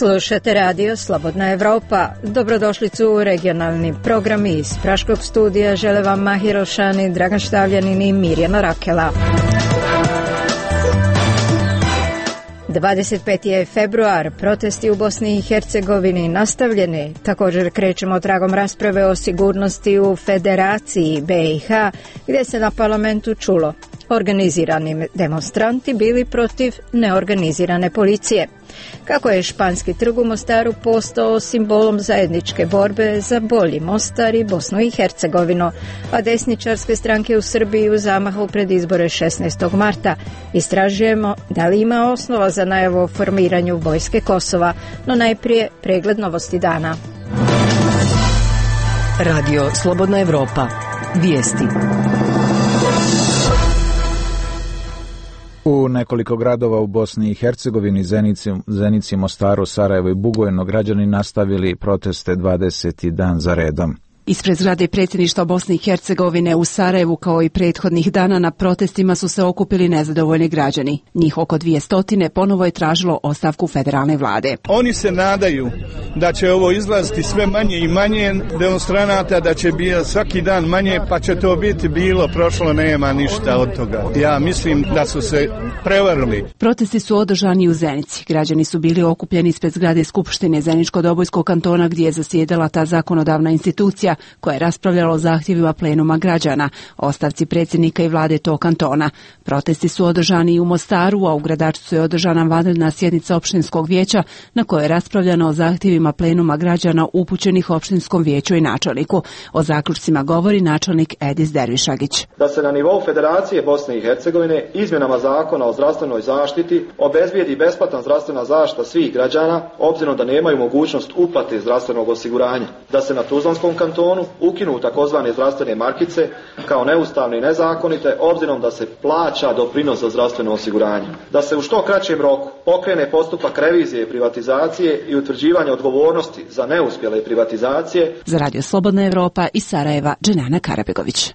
Slušate radio Slobodna Evropa. Dobrodošlicu u regionalni program iz Praškog studija. Žele vam Mahir Šani, Dragan Štavljanin i Mirjana Rakela. 25. je februar, protesti u Bosni i Hercegovini nastavljeni. Također krećemo tragom rasprave o sigurnosti u Federaciji BiH, gdje se na parlamentu čulo: organizirani demonstranti bili protiv neorganizirane policije. Kako je Španski trg u Mostaru postao simbolom zajedničke borbe za bolji Mostar i Bosnu i Hercegovinu, a desničarske stranke u Srbiji u zamahu pred izbore 16. marta. Istražujemo da li ima osnova za najavu o formiranju vojske Kosova, no najprije pregled novosti dana. Radio Slobodna Evropa. Vijesti. U nekoliko gradova u Bosni i Hercegovini, Zenici, Mostaru, Sarajevo i Bugojno, građani nastavili proteste 20. dan za redom. Ispred zgrade predsjedništva Bosne i Hercegovine u Sarajevu, kao i prethodnih dana, na protestima su se okupili nezadovoljni građani. Njih oko 200 ponovo je tražilo ostavku federalne vlade. Oni se nadaju da će ovo izlaziti sve manje i manje demonstranata, da će biti svaki dan manje, pa će to biti bilo, prošlo, nema ništa od toga. Ja mislim da su se prevarili. Protesti su održani u Zenici. Građani su bili okupljeni ispred zgrade Skupštine Zeničko-Dobojskog kantona, gdje je zasjedala ta zakonodavna institucija koja je raspravljala o zahtjevima plenuma građana, ostavci predsjednika i vlade tog kantona. Protesti su održani i u Mostaru, a u Gradačcu je održana vanredna sjednica opštinskog vijeća na kojoj je raspravljano o zahtjevima plenuma građana upućenih opštinskom vijeću i načelniku. O zaključcima govori načelnik Edis Dervišagić. Da se na nivou Federacije Bosne i Hercegovine izmjenama zakona o zdravstvenoj zaštiti obezbijedi besplatna zdravstvena zaštita svih građana, obzirom da nemaju mogućnost uplate zdravstvenog osiguranja. Da se na Tuzlanskom kantonu ukinu takozvane zdravstvene markice kao neustavne i nezakonite, obzirom da se plaća doprinos za zdravstveno osiguranje. Da se u što kraćem roku pokrene postupak revizije privatizacije i utvrđivanje odgovornosti za neuspjele privatizacije. Za Radio Slobodna Evropa iz Sarajeva, Dženana Karabegović.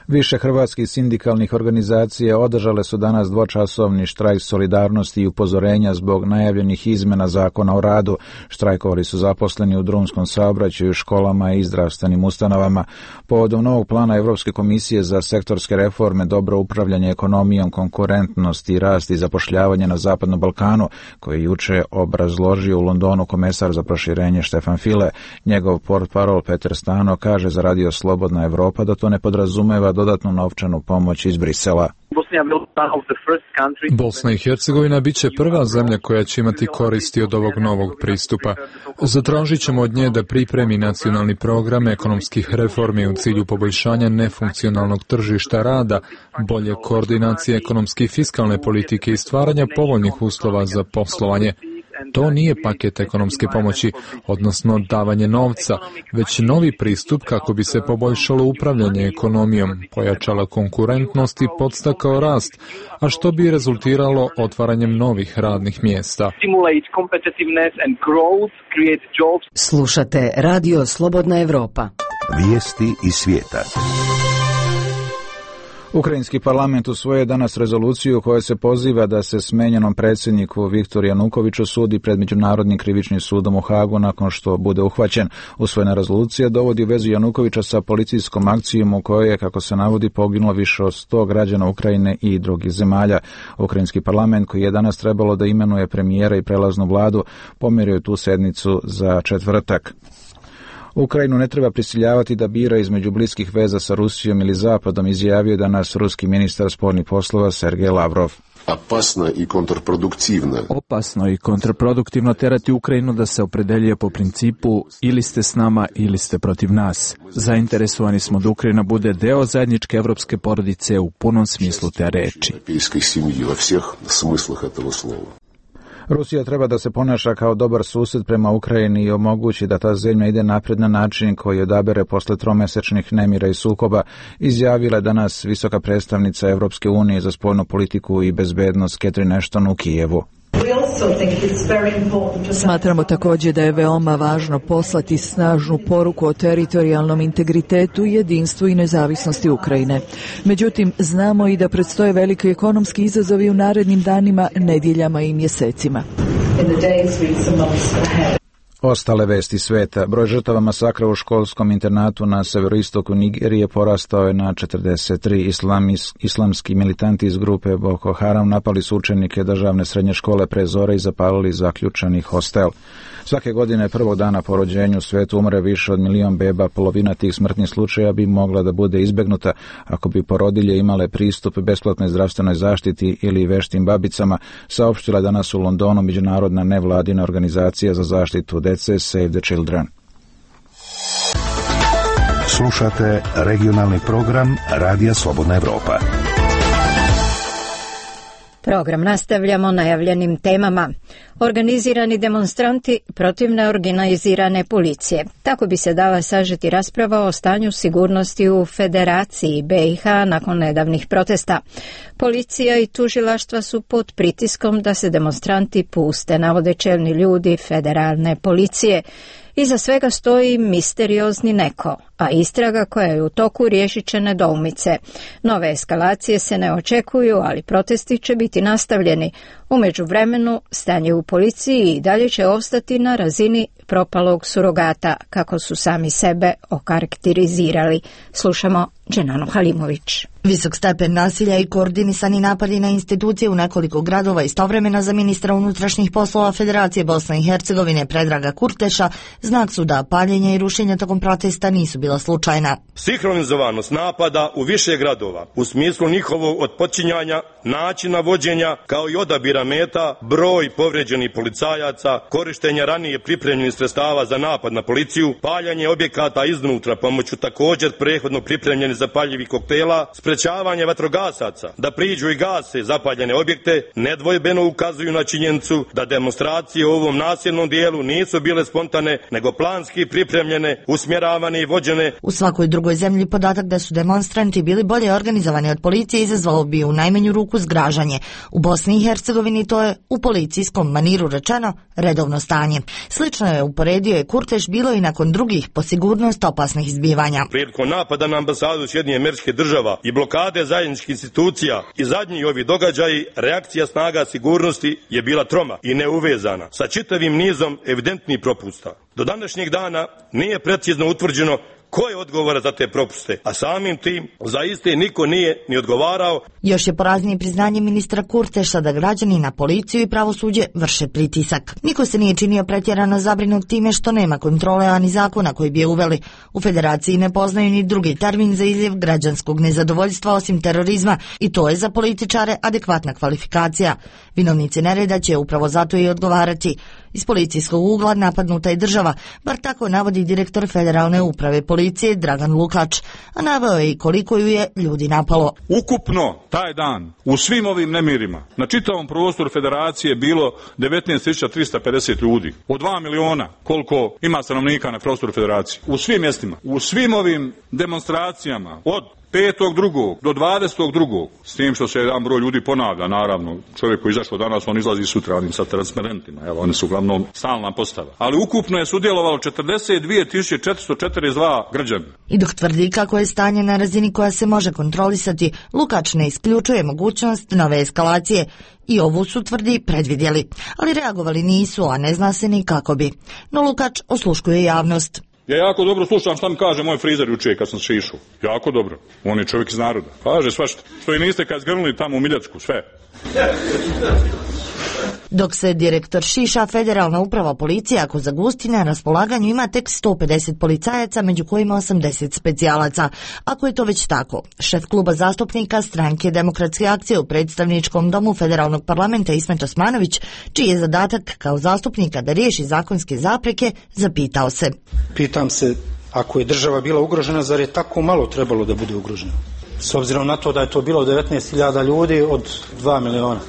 Više hrvatskih sindikalnih organizacija održale su danas dvočasovni štrajk solidarnosti i upozorenja zbog najavljenih izmjena zakona o radu. Štrajkovali su zaposleni u drumskom saobraćaju, školama i zdravstvenim ustanovama. Povodom novog plana Europske komisije za sektorske reforme, dobro upravljanje ekonomijom, konkurentnost i rast i zapošljavanje na Zapadnom Balkanu, koji je juče obrazložio u Londonu komesar za proširenje Štefan File, njegov portparol Petar Stano kaže za Radio Slobodna Evropa da to ne podrazumeva dodatnu novčanu pomoć iz Brisela. Bosna i Hercegovina bit će prva zemlja koja će imati koristi od ovog novog pristupa. Zatražit ćemo od nje da pripremi nacionalni program ekonomskih reformi u cilju poboljšanja nefunkcionalnog tržišta rada, bolje koordinacije ekonomske i fiskalne politike i stvaranja povoljnih uslova za poslovanje. To nije paket ekonomske pomoći, odnosno davanje novca, već novi pristup kako bi se poboljšalo upravljanje ekonomijom, pojačala konkurentnost i podstakao rast, a što bi rezultiralo otvaranjem novih radnih mjesta. Slušate Radio Slobodna Evropa. Vijesti iz svijeta. Ukrajinski parlament usvojio danas rezoluciju koja se poziva da se smenjenom predsjedniku Viktoru Janukoviću sudi pred Međunarodnim krivičnim sudom u Hagu nakon što bude uhvaćen. Usvojena rezolucija dovodi u vezu Janukovića sa policijskom akcijom u kojoj je, kako se navodi, poginulo više od 100 građana Ukrajine i drugih zemalja. Ukrajinski parlament, koji je danas trebalo da imenuje premijera i prelaznu vladu, pomjerio je tu sednicu za četvrtak. Ukrajinu ne treba prisiljavati da bira između bliskih veza sa Rusijom ili Zapadom, izjavio je danas ruski ministar spoljnih poslova Sergej Lavrov. Opasno i kontraproduktivno terati Ukrajinu da se opredeljuje po principu ili ste s nama ili ste protiv nas. Zainteresovani smo da Ukrajina bude deo zajedničke evropske porodice u punom smislu te reči. Rusija treba da se ponaša kao dobar susjed prema Ukrajini i omogući da ta zemlja ide napred na način koji odabere posle tromesečnih nemira i sukoba, izjavila je danas visoka predstavnica Evropske unije za spoljnu politiku i bezbednost Catherine Ashton u Kijevu. Smatramo također da je veoma važno poslati snažnu poruku o teritorijalnom integritetu, jedinstvu i nezavisnosti Ukrajine. Međutim, znamo i da predstoje veliki ekonomski izazovi u narednim danima, nedjeljama i mjesecima. Ostale vesti sveta. Broj žrtava masakra u školskom internatu na severoistoku Nigerije porastao je na 43. Islamski militanti iz grupe Boko Haram napali su učenike državne srednje škole pre zore i zapalili zaključani hostel. Svake godine prvog dana po rođenju u svetu umre više od 1 milion beba. Polovina tih smrtnih slučaja bi mogla da bude izbegnuta ako bi porodilje imale pristup besplatnoj zdravstvenoj zaštiti ili veštim babicama, saopštila danas u Londonu međunarodna nevladina organizacija za zaštitu dece Save the Children. Slušate regionalni program Radija Slobodna Evropa. Program nastavljamo najavljenim temama. Organizirani demonstranti protiv neorganizirane policije. Tako bi se dala sažeti rasprava o stanju sigurnosti u Federaciji BiH nakon nedavnih protesta. Policija i tužilaštva su pod pritiskom da se demonstranti puste, navode čelni ljudi federalne policije. Iza svega stoji misteriozni neko, a istraga koja je u toku riješit će nedoumice. Nove eskalacije se ne očekuju, ali protesti će biti nastavljeni. U međuvremenu, stanje u policiji i dalje će ostati na razini propalog surogata, kako su sami sebe okarakterizirali. Slušamo Dženanu Halimović. Visok stepen nasilja i koordinisani napadi na institucije u nekoliko gradova istovremeno za ministra unutrašnjih poslova Federacije Bosne i Hercegovine Predraga Kurteša znak su da paljenja i rušenja tokom protesta nisu bila slučajna. Sinhronizovanost napada u više gradova u smislu njihovog otpočinjanja, načina vođenja kao i odabira meta, broj povređenih policajaca, korištenja ranije pripremljenih sredstava za napad na policiju, paljanje objekata iznutra pomoću također prethodno pripremljenih zapaljivih koktela, sprečavanje vatrogasaca da priđu i gase zapaljene objekte nedvojbeno ukazuju na činjenicu da demonstracije u ovom nasilnom dijelu nisu bile spontane, nego planski pripremljene, usmjeravane i vođene. U svakoj drugoj zemlji podatak da su demonstranti bili bolje organizovani od policije izazvalo bi u najmanju ruku zgražanje. U Bosni i Hercegovini to je u policijskom maniru rečeno redovno stanje. Slično je uporedio i Kurteš bilo i nakon drugih po sigurnost opasnih izbivanja. Prilikom napada na ambasadu Sjedinjenih Američkih Država i blokade zajedničkih institucija i zadnji ovi događaji, reakcija snaga sigurnosti je bila troma i neuvezana sa čitavim nizom evidentnih propusta. Do današnjeg dana nije precizno utvrđeno ko je odgovara za te propuste, a samim tim za iste niko nije ni odgovarao. Još je poraznije priznanje ministra Kurteša da građani na policiju i pravosuđe vrše pritisak. Niko se nije činio pretjerano zabrinut time što nema kontrole ani zakona koji bi je uveli. U Federaciji ne poznaju ni drugi termin za izljev građanskog nezadovoljstva osim terorizma i to je za političare adekvatna kvalifikacija. Vinovnici nereda će upravo zato i odgovarati. Iz policijskog ugla napadnuta je država, bar tako navodi direktor Federalne uprave policije Dragan Lukač, a naveo je i koliko ju je ljudi napalo. Ukupno taj dan u svim ovim nemirima na čitavom prostoru Federacije bilo 19.350 ljudi. Od 2 miliona koliko ima stanovnika na prostoru Federacije. U svim mjestima, u svim ovim demonstracijama od 5.2. do 20.2. s tim što se jedan broj ljudi ponavlja, naravno, čovjek koji izašao danas, on izlazi sutra onim sa transparentima, evo, oni su uglavnom stalna postava. Ali ukupno je sudjelovalo 42.442 građana. I dok tvrdi kako je stanje na razini koja se može kontrolisati, Lukač ne isključuje mogućnost nove eskalacije. I ovu su, tvrdi, predvidjeli, ali reagovali nisu, a ne zna se ni kako bi. No Lukač osluškuje javnost. Ja jako dobro slušam šta mi kaže moj frizer jučer kad sam šišao. Jako dobro. On je čovjek iz naroda. Kaže svašta. Što i niste kad zgrnuli tamo u Miljacku, sve. Dok se direktor šiša, Federalna uprava policije ako zagusti na raspolaganju ima tek 150 policajaca, među kojima 80 specijalaca. Ako je to već tako, šef kluba zastupnika Stranke demokratske akcije u predstavničkom domu Federalnog parlamenta Ismet Osmanović, čiji je zadatak kao zastupnika da riješi zakonske zapreke, zapitao se. Pitam se, ako je država bila ugrožena, zar je tako malo trebalo da bude ugrožena? S obzirom na to da je to bilo 19.000 ljudi od 2 miliona.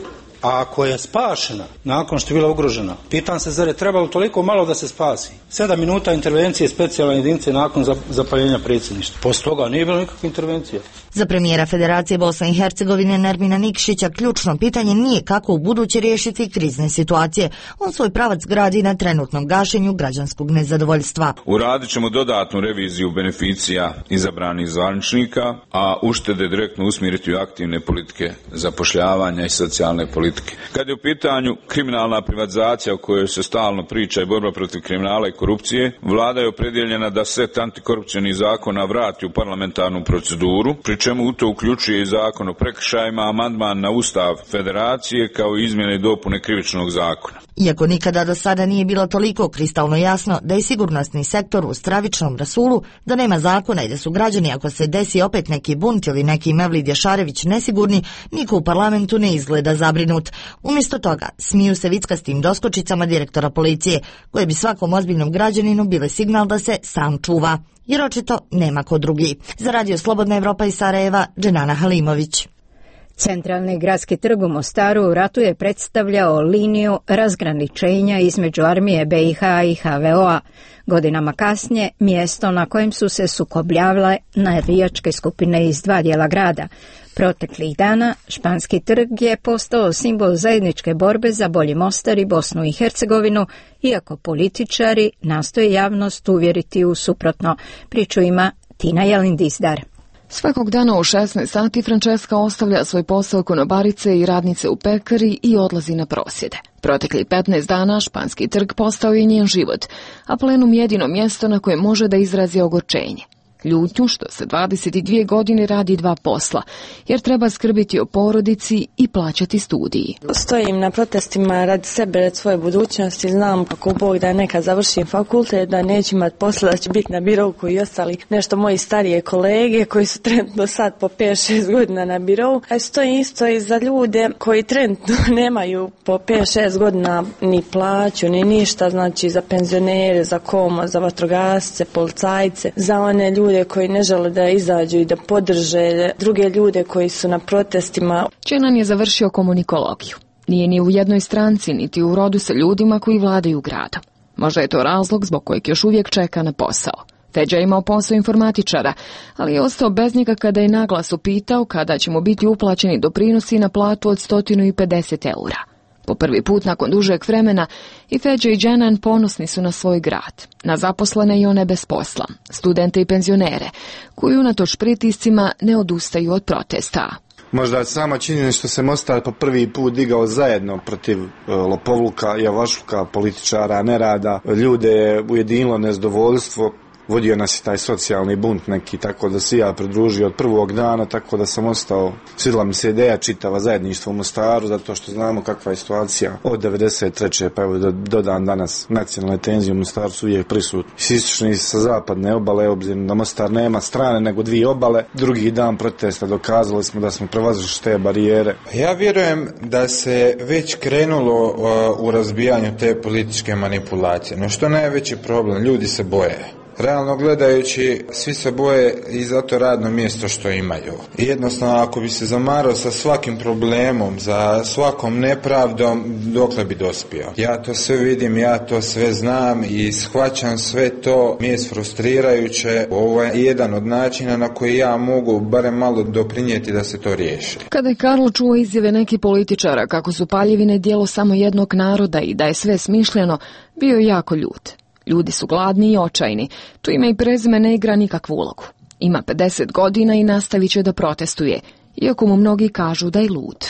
A ako je spašena nakon što je bila ugrožena, pitam se zar je trebalo toliko malo da se spasi? 7 minuta intervencije specijalne jedinice nakon zapaljenja predsjedništva. Posle toga nije bilo nikakve intervencije. Za premijera Federacije Bosne i Hercegovine Nermina Nikšića ključno pitanje nije kako u buduće riješiti krizne situacije. On svoj pravac gradi na trenutnom gašenju građanskog nezadovoljstva. Uradit ćemo dodatnu reviziju beneficija izabranih zvaničnika, a uštede direktno usmjeriti u aktivne politike zapošljavanja i socijalne politike. Kad je u pitanju kriminalna privatizacija o kojoj se stalno priča i borba protiv kriminala i korupcije, vlada je opredjeljena da set antikorupcijskih zakona vrati u parlamentarnu proceduru, pri čemu u to uključuje i zakon o prekršajima, amandman na Ustav Federacije kao i izmjene i dopune krivičnog zakona. Iako nikada do sada nije bilo toliko kristalno jasno da je sigurnosni sektor u stravičnom rasulu, da nema zakona i da su građani, ako se desi opet neki bunt ili neki Mevlid Jašarević nesigurni, niko u parlamentu ne izgleda zabrinut. Umjesto toga, smiju se vickastim doskočicama direktora policije, koje bi svakom ozbiljnom građaninu bile signal da se sam čuva, jer očito nema ko drugi. Za Radio Slobodna Evropa iz Sarajeva, Dženana Halimović. Centralni gradski trg u Mostaru u ratu je predstavljao liniju razgraničenja između armije BiH i HVO-a. Godinama kasnije, mjesto na kojem su se sukobljavale navijačke skupine iz dva dijela grada. Proteklih dana, Španski trg je postao simbol zajedničke borbe za bolji Mostar i Bosnu i Hercegovinu, iako političari nastoje javnost uvjeriti u suprotno. Priču ima Tina Jelindizdar. Svakog dana u 16 sati Francesca ostavlja svoj posao konobarice i radnice u pekari i odlazi na prosvjede. Protekli 15 dana Španski trg postao je njen život, a plenum jedino mjesto na koje može da izrazi ogorčenje. Ljutnju što se 22 godine radi dva posla, jer treba skrbiti o porodici i plaćati studiji. Stojim na protestima radi sebe, radi svoje budućnosti, znam kako Bog da nekad završim fakultet, da neću imati posla, da će biti na birou koji i ostali nešto moji starije kolege koji su trenutno sad po 5-6 godina na birou. A stojim isto i za ljude koji trenutno nemaju po 5-6 godina ni plaću, ni ništa, znači za penzionere, za komo, za vatrogasce, policajce, za one ljude koji ne žele da izađu i da podrže druge ljude koji su na protestima. Čenan je završio komunikologiju. Nije ni u jednoj stranci, niti u rodu sa ljudima koji vladaju gradom. Možda je to razlog zbog kojeg još uvijek čeka na posao. Feđa je imao posao informatičara, ali je ostao bez njega kada je naglas upitao kada će mu biti uplaćeni doprinosi na platu od 150 eura. Po prvi put nakon dužeg vremena i Feđa i Dženan ponosni su na svoj grad, na zaposlene i one bez posla, studente i penzionere, koji unatoč pritiscima ne odustaju od protesta. Možda sama činjenica što se Mostar po prvi put digao zajedno protiv lopovluka, javašluka, političara, nerada, ljude je ujedinilo nezadovoljstvo. Vodio nas i taj socijalni bunt neki, tako da se ja pridružio od prvog dana, tako da sam ostao. Svidjela mi se ideja čitava zajedništva u Mostaru, zato što znamo kakva je situacija od 93. pa evo do dan danas. Nacionalne tenzije u Mostaru su uvijek prisutni. S istočne i sa zapadne obale, obzirom da Mostar nema strane nego dvije obale. Drugi dan protesta dokazali smo da smo prevazili te barijere. Ja vjerujem da se već krenulo u razbijanju te političke manipulacije. No što je najveći problem? Ljudi se boje. Realno gledajući, svi se boje i za to radno mjesto što imaju. I jednostavno, ako bi se zamarao sa svakim problemom, za svakom nepravdom, dokle bi dospio. Ja to sve vidim, ja to sve znam i shvaćam sve to. Mi je frustrirajuće. Ovo je jedan od načina na koji ja mogu barem malo doprinijeti da se to riješi. Kada je Karlo čuo izjave nekih političara kako su Paljevine dijelo samo jednog naroda i da je sve smišljeno, bio je jako ljut. Ljudi su gladni i očajni. Tu ime i prezime ne igra nikakvu ulogu. Ima 50 godina i nastavit će da protestuje, iako mu mnogi kažu da je lud.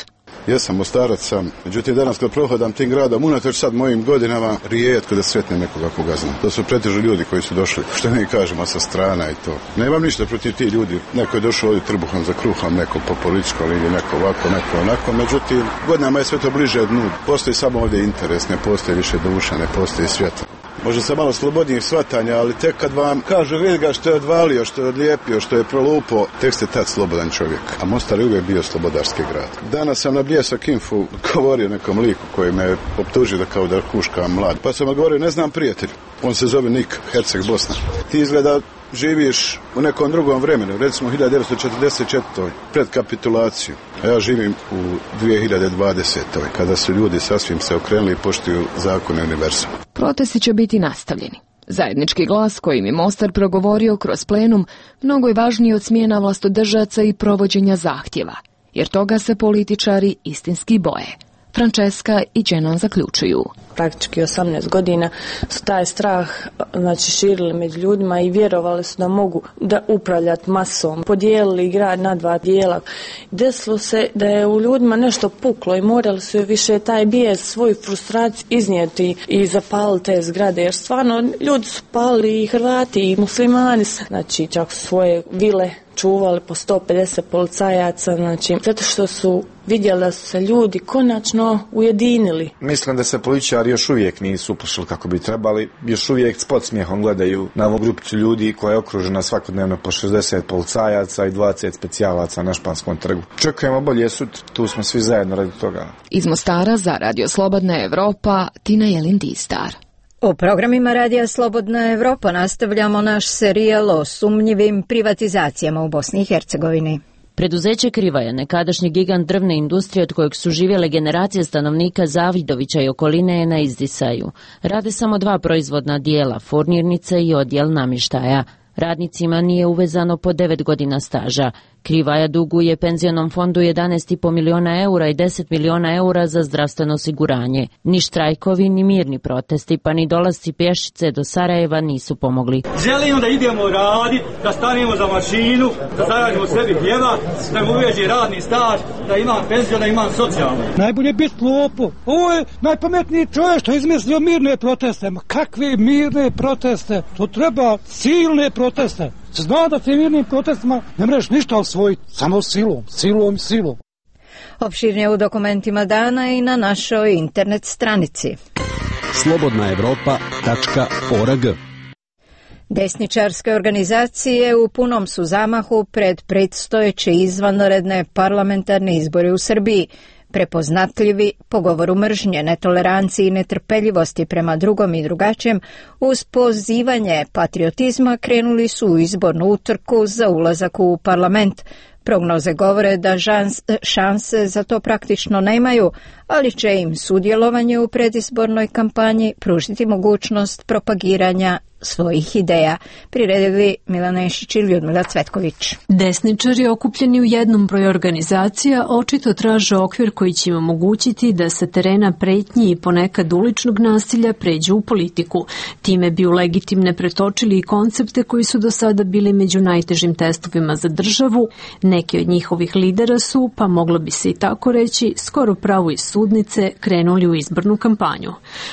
Ja sam Mostarac sam, međutim danas kad prohodam tim gradom, unatoč sad mojim godinama, rijetko da sretnem nekoga koga znam. To su pretežno ljudi koji su došli, što mi kažemo, sa strana i to. Nemam ništa protiv tih ljudi. Neko je došao ovdje trbuhom za kruhom, neko po političkoj liniji, neko ovako, neko onako. Međutim, godinama je sve to bliže dnu. Postoji samo ovdje interes, ne postoji više duša, ne postoji svjetlo. Može se malo slobodnijih shvatanja, ali tek kad vam kažu vidi ga što je odvalio, što je odlijepio, što je prolupo, tek ste tad slobodan čovjek. A Mostar je uvijek bio slobodarski grad. Danas sam na Bljesak Infu govorio nekom liku koji me optužio da kao da kuškam mlad. Pa sam odgovorio, ne znam prijatelj, on se zove Nik, Herceg Bosna. Ti izgleda živiš u nekom drugom vremenu, recimo 1944. pred kapitulaciju. A ja živim u 2020. kada su ljudi sasvim se okrenuli i poštuju zakone univerzuma. Protesti će biti nastavljeni. Zajednički glas kojim je Mostar progovorio kroz plenum mnogo je važniji od smjena vlastodržaca i provođenja zahtjeva, jer toga se političari istinski boje. Franceska i Dženan zaključuju. Praktički 18 godina su taj strah širili među ljudima i vjerovali su da mogu da upravljati masom. Podijelili grad na dva dijela. Desilo se da je u ljudima nešto puklo i morali su više taj bijes, svoju frustraciju iznijeti i zapaliti te zgrade. Jer stvarno ljudi su palili i Hrvati i muslimani. Čak su svoje vile čuvali po 150 policajaca, zato što su vidjeli da su se ljudi konačno ujedinili. Mislim da se političari još uvijek nisu uplašili kako bi trebali, još uvijek s podsmijehom gledaju na ovu grupicu ljudi koja je okružena svakodnevno po 60 policajaca i 20 specijalaca na Španskom trgu. Čekujemo bolje sutra, tu smo svi zajedno radi toga. Iz Mostara za Radio Slobodna Evropa, Tina Jelin-Distar. U programima Radija Slobodna Evropa nastavljamo naš serijal o sumnjivim privatizacijama u Bosni i Hercegovini. Preduzeće Krivaja, nekadašnji gigant drvne industrije od kojeg su živjele generacije stanovnika Zavidovića i okoline, je na izdisaju. Rade samo 2 proizvodna dijela, furnirnice i odjel namještaja. Radnicima nije uvezano po 9 godina staža. Krivaja duguje penzionom fondu 11,5 miliona eura i 10 miliona eura za zdravstveno osiguranje. Ni štrajkovi, ni mirni protesti, pa ni dolasci pješice do Sarajeva nisu pomogli. Želimo da idemo raditi, da stanemo za mašinu, da zaradimo sebi hljeba, da mu uveži radni staž, da imam penzion, da imam socijalno. Najbolje biti lopov. Ovo je najpametniji čovjek što je izmislio mirne proteste. Ma kakve mirne proteste? To treba silne proteste. Zna da te mirnim protestima ne mreš ništa osvojiti, samo silom. Opširnije u dokumentima dana i na našoj internet stranici. slobodnaevropa.org. Desničarske organizacije u punom su zamahu pred predstojeće izvanredne parlamentarne izbore u Srbiji. Prepoznatljivi po govoru mržnje, netoleranciji i netrpeljivosti prema drugom i drugačijem, uz pozivanje patriotizma krenuli su u izbornu utrku za ulazak u parlament. Prognoze govore da šanse za to praktično nemaju, ali će im sudjelovanje u predizbornoj kampanji pružiti mogućnost propagiranja svojih ideja. Priredili Milana Ješić i Ljudmila Cvetković. Desničari okupljeni u jednom broju organizacija očito traže okvir koji će im omogućiti da sa terena pretnji i ponekad uličnog nasilja pređu u politiku. Time bi u legitimne pretočili i koncepte koji su do sada bili među najtežim testovima za državu. Neki od njihovih lidera su, pa moglo bi se i tako reći, skoro pravo iz sudnice krenuli u izbornu kampanju.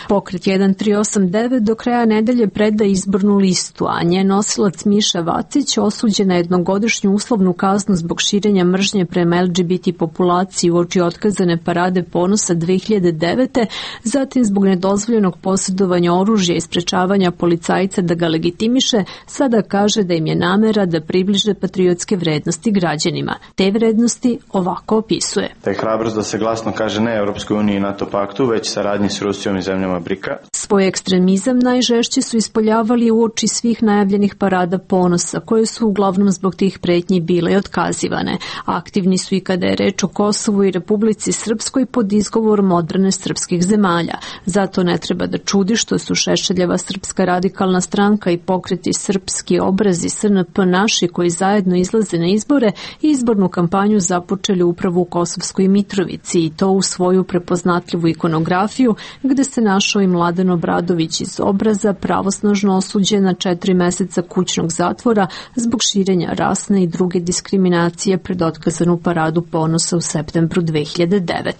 Pokret 1389 do kraja nedelje preda izbornu listu, a njen nosilac Miša Vacić osuđen na jednogodišnju uslovnu kaznu zbog širenja mržnje prema LGBT populaciji uoči otkazane parade ponosa 2009. Zatim zbog nedozvoljenog posjedovanja oružja i sprečavanja policajca da ga legitimiše, sada kaže da im je namera da približe patriotske vrednosti građanima. Te vrednosti ovako opisuje. Da je hrabrost da se glasno kaže ne Europskoj uniji i NATO paktu, već saradnji s Rusijom i zemljama BRICA. Svoj ekstremizam najžešće su ispoljavali uoči svih najavljenih parada ponosa, koje su uglavnom zbog tih pretnji bile otkazivane. Aktivni su i kada je reč o Kosovu i Republici Srpskoj pod izgovorom odbrane srpskih zemalja. Zato ne treba da čudi što su Šešeljeva Srpska radikalna stranka i pokreti Srpski obrazi SNP naši koji zajedno izlaze na izbore i izbornu kampanju započeli upravo u Kosovskoj Mitrovici i to u svoju prepoznatljivu ikonografiju gde se našao i Mladen Obradović iz Obraza pravosnažno osuđen na 4 meseca kućnog zatvora zbog širenja rasne i druge diskriminacije pred otkazanu paradu ponosa u septembru 2009.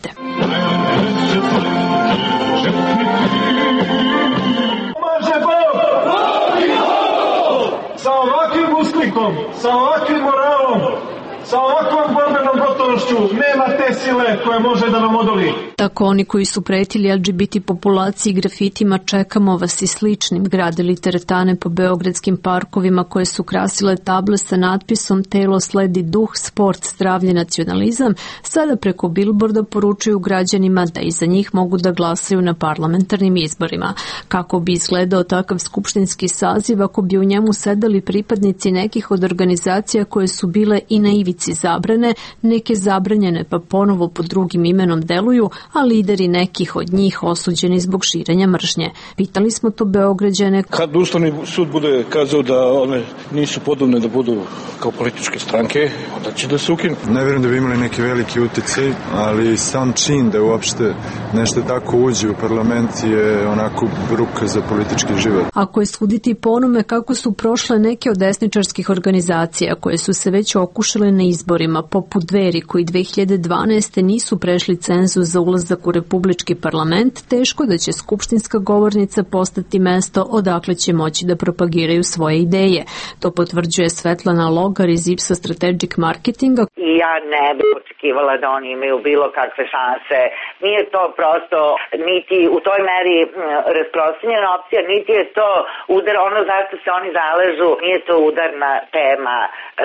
Sa ovakvim usklikom, sa ovakvim moralom, sa ovakvom borbenom gotovošću nema te sile koja može da vam odoli. Tako oni koji su pretili LGBT populaciji grafitima čekamo vas i sličnim gradili teretane po beogradskim parkovima koje su krasile table sa natpisom telo sledi duh, sport, zdravlje, nacionalizam, sada preko bilborda poručuju građanima da iza njih mogu da glasaju na parlamentarnim izborima. Kako bi izgledao takav skupštinski saziv ako bi u njemu sedali pripadnici nekih od organizacija koje su bile i na ivici ivici zabrane, neke zabranjene pa ponovo pod drugim imenom deluju, a lideri nekih od njih osuđeni zbog širenja mržnje. Pitali smo to Beograđane. Kad Ustavni sud bude kazao da one nisu podobne da budu kao političke stranke, onda će da se ukinu. Ne vjerujem da bi imali neki veliki utjecaj, ali sam čin da uopšte nešto tako uđe u parlament je onako ruka za politički život. Ako je suditi po onome kako su prošle neke od desničarskih organizacija koje su se već okušale na izborima, poput Dveri koji 2012. nisu prešli cenzus za ulazak u republički parlament, teško da će skupštinska govornica postati mesto odakle će moći da propagiraju svoje ideje. To potvrđuje Svetlana Logar iz Ipsa Strategic Marketinga. I ja ne bih očekivala da oni imaju bilo kakve šanse. Nije to prosto niti u toj meri rasprostranjena opcija, niti je to udar, ono zašto se oni zaležu, nije to udarna tema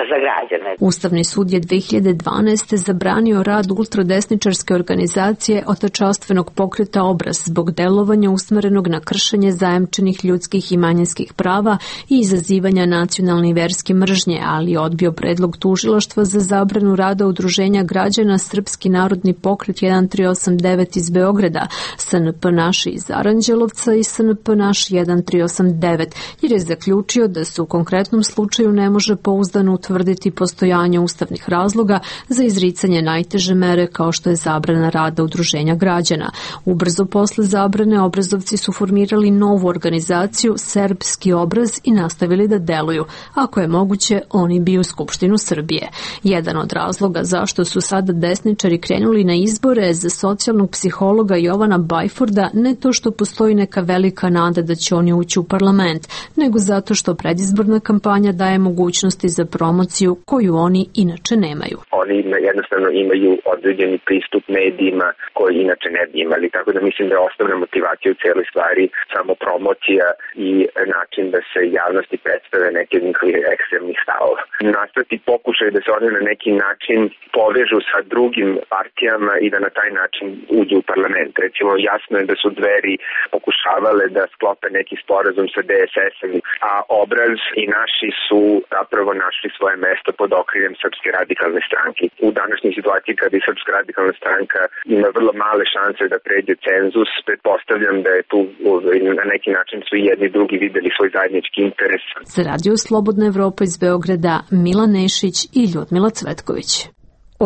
za građane. Ustavni sud je 2012. zabranio rad ultradesničarske organizacije Otačanstvenog pokreta Obraz zbog delovanja usmerenog na kršenje zajamčenih ljudskih i manjinskih prava i izazivanja nacionalne i verske mržnje, ali odbio predlog tužilaštva za zabranu rada udruženja građana Srpski narodni pokret 1389 iz Beograda, SNP Naši iz Aranđelovca i SNP Naš 1389, jer je zaključio da se u konkretnom slučaju ne može pouzdano utvrditi postojanje ustavnih razloga za izricanje najteže mere kao što je zabrana rada udruženja građana. Ubrzo posle zabrane obrazovci su formirali novu organizaciju Serbski obraz i nastavili da deluju. Ako je moguće, oni bi u Skupštinu Srbije. Jedan od razloga zašto su sada desničari krenuli na izbore za socijalnog psihologa Jovana Bajforda ne to što postoji neka velika nada da će oni ući u parlament, nego zato što predizborna kampanja daje mogućnosti za promociju koju oni inače nemaju. Oni jednostavno imaju određeni pristup medijima koji inače ne bi imali, tako da mislim da je osnovna motivacija u cijeloj stvari samo promocija i način da se javnosti predstave neke od njihovih ekstremnih stavova. Nastati pokušaj da se oni na neki način povežu sa drugim partijama i da na taj način uđu u parlament. Recimo, jasno je da su Dveri pokušavale da sklope neki sporazum sa DSS-om, a Obraz i Naši su zapravo našli svoje mesto pod okriljem Srpske radikalne stranke. U današnjoj situaciji kada i Srpska radikalna stranka ima vrlo male šanse da pređe cenzus, pretpostavljam da je tu na neki način su i jedni drugi videli svoj zajednički interes. Za Radio Slobodna Evropa iz Beograda, Milan Nešić i Ljudmila Cvetković.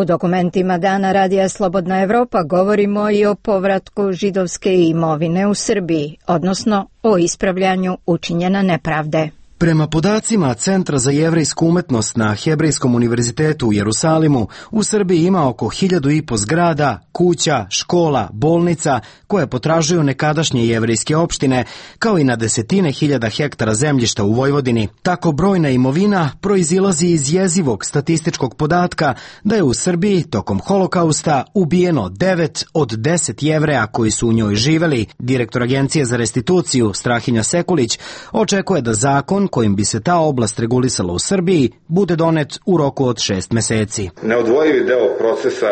U dokumentima Dana Radija Slobodna Evropa govorimo i o povratku židovske imovine u Srbiji, odnosno o ispravljanju učinjene nepravde. Prema podacima Centra za jevrejsku umetnost na Hebrejskom univerzitetu u Jerusalimu, u Srbiji ima oko 1500 zgrada, kuća, škola, bolnica koje potražuju nekadašnje jevrejske opštine, kao i na desetine hiljada hektara zemljišta u Vojvodini. Tako brojna imovina proizilazi iz jezivog statističkog podatka da je u Srbiji tokom holokausta ubijeno 9 od 10 Jevreja koji su u njoj živeli. Direktor Agencije za restituciju Strahinja Sekulić očekuje da zakon kojim bi se ta oblast regulisala u Srbiji bude donet u roku od 6 meseci. Neodvojivi deo procesa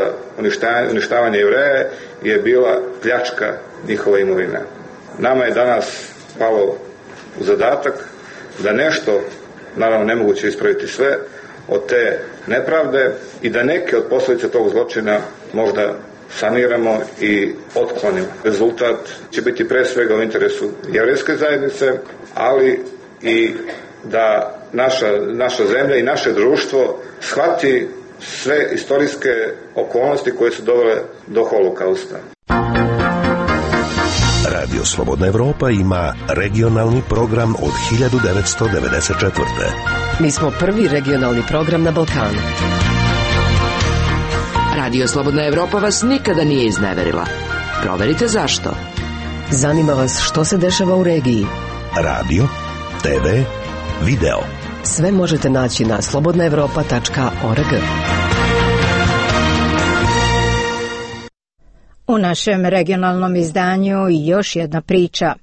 uništavanja Jevreja je bila pljačka njihova imovina. Nama je danas palo u zadatak da nešto, naravno nemoguće ispraviti sve, od te nepravde i da neke od posljedica tog zločina možda saniramo i otklonimo. Rezultat će biti pre svega u interesu jevrejske zajednice, ali i da naša zemlja i naše društvo shvati sve istorijske okolnosti koje su dovele do holokausta. Radio Slobodna Evropa ima regionalni program od 1994. Mi smo prvi regionalni program na Balkanu. Radio Slobodna Evropa vas nikada nije izneverila. Proverite zašto. Zanima vas što se dešava u regiji. Radio, TV, video. Sve možete naći na slobodnaevropa.org. U našem regionalnom izdanju još jedna priča.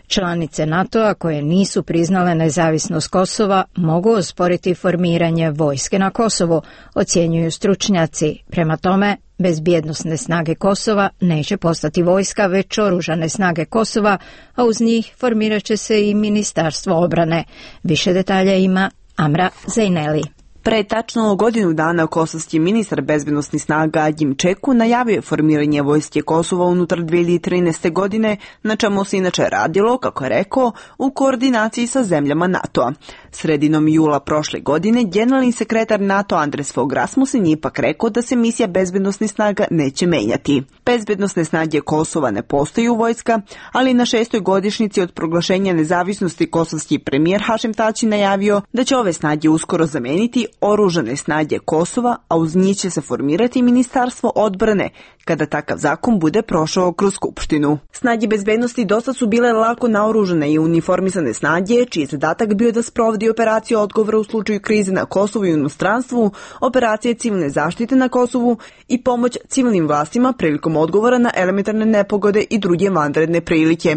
Članice NATO-a koje nisu priznale nezavisnost Kosova mogu osporiti formiranje vojske na Kosovu, ocjenjuju stručnjaci. Prema tome, bezbjednosne snage Kosova neće postati vojska, već oružane snage Kosova, a uz njih formirat će se i Ministarstvo obrane. Više detalja ima Amra Zejneli. Pre tačno godinu dana kosovski ministar bezbednosnih snaga Ađim Čeku najavio je formiranje vojske Kosova unutar 2013. godine, na čemu se inače radilo, kako je rekao, u koordinaciji sa zemljama NATO-a. Sredinom jula prošle godine generalni sekretar NATO Andres Fogh Rasmussen je ipak rekao da se misija bezbednosnih snaga neće menjati. Bezbednosne snage Kosova ne postaju vojska, ali na 6. godišnjici od proglašenja nezavisnosti kosovski premijer Hašim Tači najavio da će ove snage uskoro zameniti oružane snage Kosova, a uz njih će se formirati Ministarstvo odbrane kada takav zakon bude prošao kroz Skupštinu. Snage bezbednosti dosta su bile lako naoružane i uniformisane snage, čiji je zadatak bio da sprovodi operaciju odgovora u slučaju krize na Kosovu i inostranstvu, operacije civilne zaštite na Kosovu i pomoć civilnim vlastima prilikom odgovora na elementarne nepogode i druge vanredne prilike.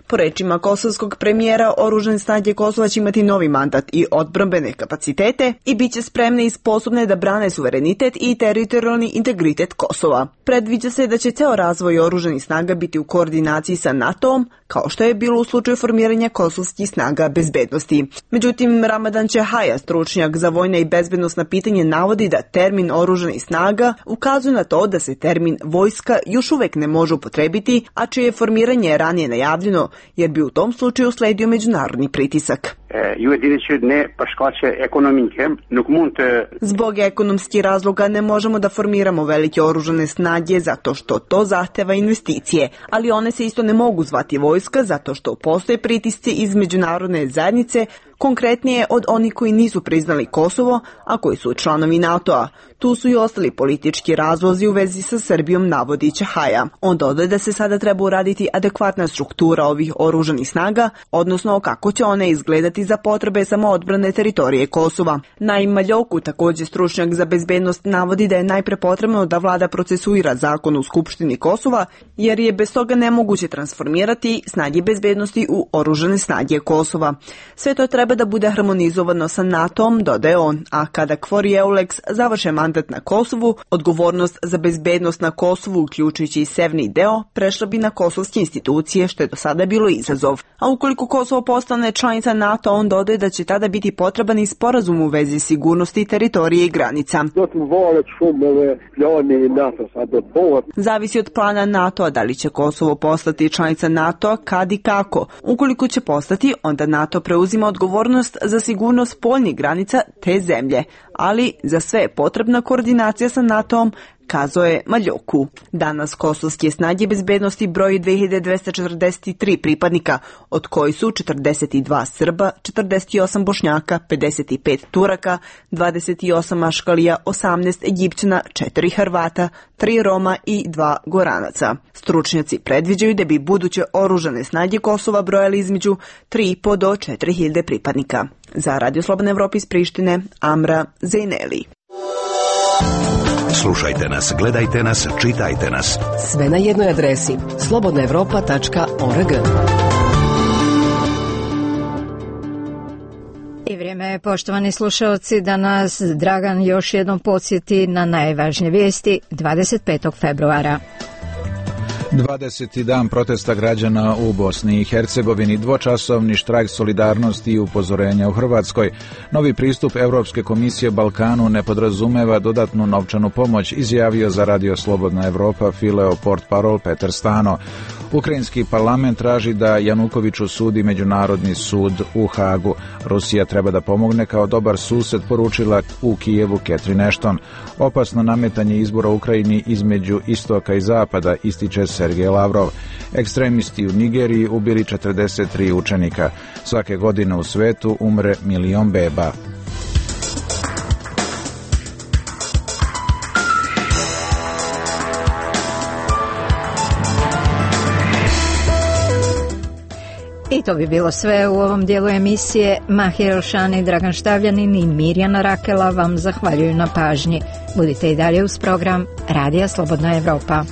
Po rečima kosovskog premijera, oružane snage Kosova će imati novi mandat i odbrambene kapacitete i bit će spremne i sposobne da brane suverenitet i teritorijalni integritet Kosova. Predviđa se da će ceo razvoj oružanih snaga biti u koordinaciji sa NATO-om, kao što je bilo u slučaju formiranja kosovskih snaga bezbednosti. Međutim, Ramadan Čehaja, stručnjak za vojna i bezbednosna pitanja, navodi da termin oružanih snaga ukazuje na to da se termin vojska još uvek ne može upotrebiti, a čije je formiranje ranije najavljeno, jer bi u tom slučaju sledio međunarodni pritisak. Zbog ekonomskih razloga ne možemo da formiramo velike oružane snage zato što to zahteva investicije, ali one se isto ne mogu zvati vojska zato što postoje pritisci iz međunarodne zajednice, konkretnije od onih koji nisu priznali Kosovo, a koji su članovi NATO-a. Tu su i ostali politički razlozi u vezi sa Srbijom, navodi Čehaja. On dodaje da se sada treba uraditi adekvatna struktura ovih oružanih snaga, odnosno kako će one izgledati za potrebe samoodbrane teritorije Kosova. Naim Maljoku, također stručnjak za bezbednost, navodi da je najpre potrebno da vlada procesuira zakon u Skupštini Kosova, jer je bez toga nemoguće transformirati snage bezbednosti u oružane snage Kosova. Sve to treba da bude harmonizovano sa NATO-om, dodaje on, a kada KFOR i EULEX završe mandat na Kosovu, odgovornost za bezbednost na Kosovu, uključujući i severni deo, prešla bi na kosovske institucije, što je do sada bilo izazov. A ukoliko Kosovo postane članica NATO, on dodaje da će tada biti potreban i sporazum u vezi sigurnosti teritorije i granica. Zavisi od plana NATO-a da li će Kosovo postati članica NATO-a, kad i kako. Ukoliko će postati, onda NATO preuzima odgovornost za sigurnost spoljnih granica te zemlje, ali za sve je potrebna koordinacija sa NATO-om, kazao je Maljoku. Danas kosovske snage bezbednosti broji 2243 pripadnika, od koji su 42 Srba, 48 Bošnjaka, 55 Turaka, 28 Maškalija, 18 Egipćana, 4 Hrvata, 3 Roma i 2 Goranaca. Stručnjaci predviđaju da bi buduće oružane snage Kosova brojali između 3,5 do 4.000 pripadnika. Za Radio Slobodna Evropa iz Prištine, Amra Zejneli. Slušajte nas, gledajte nas, čitajte nas. Sve na jednoj adresi slobodnaevropa.org. I vrijeme je, poštovani slušalci, da nas Dragan još jednom podsjeti na najvažnije vijesti 25. februara. 20. dan protesta građana u Bosni i Hercegovini, dvočasovni štrajk solidarnosti i upozorenja u Hrvatskoj. Novi pristup Europske komisije Balkanu ne podrazumeva dodatnu novčanu pomoć, izjavio za Radio Slobodna Evropa Fileo portparol Petar Stano. Ukrajinski parlament traži da Janukoviću sudi Međunarodni sud u Hagu. Rusija treba da pomogne kao dobar sused, poručila u Kijevu Catherine Ashton. Opasno nametanje izbora u Ukrajini između istoka i zapada, ističe Sergej Lavrov. Ekstremisti u Nigeriji ubili 43 učenika. Svake godine u svetu umre 1 milion beba. I to bi bilo sve u ovom dijelu emisije. Mahir Elšani, Dragan Štavljanin i Mirjana Rakela vam zahvaljuju na pažnji. Budite i dalje uz program Radija Slobodna Evropa.